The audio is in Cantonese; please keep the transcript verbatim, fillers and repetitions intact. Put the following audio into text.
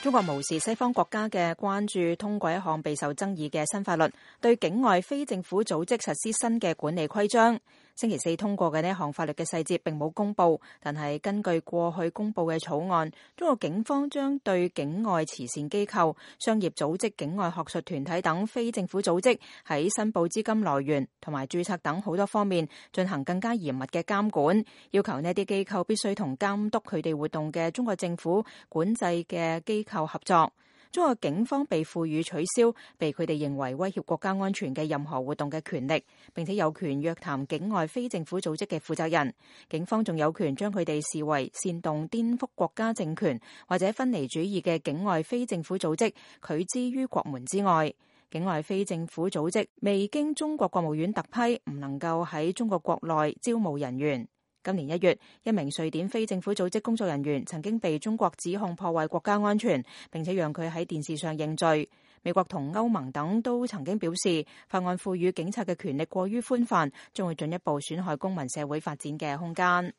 中國無視西方國家嘅關注，通過一項備受爭議嘅新法律，對境外非政府組織實施新嘅管理規章。星期四通過嘅呢項法律嘅細節並冇公布，但係根據過去公布嘅草案，中國警方將對境外慈善機構、商業組織、境外學術團體等非政府組織喺申報資金來源同埋註冊等好多方面進行更加嚴密嘅監管，要求呢啲機構必須同監督佢哋活動嘅中國政府管制嘅機構合作。中國警方被賦予取消被佢哋認為威脅國家安全嘅任何活動嘅權力，並且有權約談境外非政府組織嘅負責人。警方仲有權將佢哋視為煽動顛覆國家政權或者分離主義嘅境外非政府組織，拒之於國門之外。境外非政府組織未經中國國務院特批，唔能夠喺中國國內招募人員。今年一月，一名瑞典非政府組織工作人員曾經被中國指控破壞國家安全，並且讓佢喺電視上認罪。美國同歐盟等都曾經表示，法案賦予警察嘅權力過於寬泛，將會進一步損害公民社會發展嘅空間。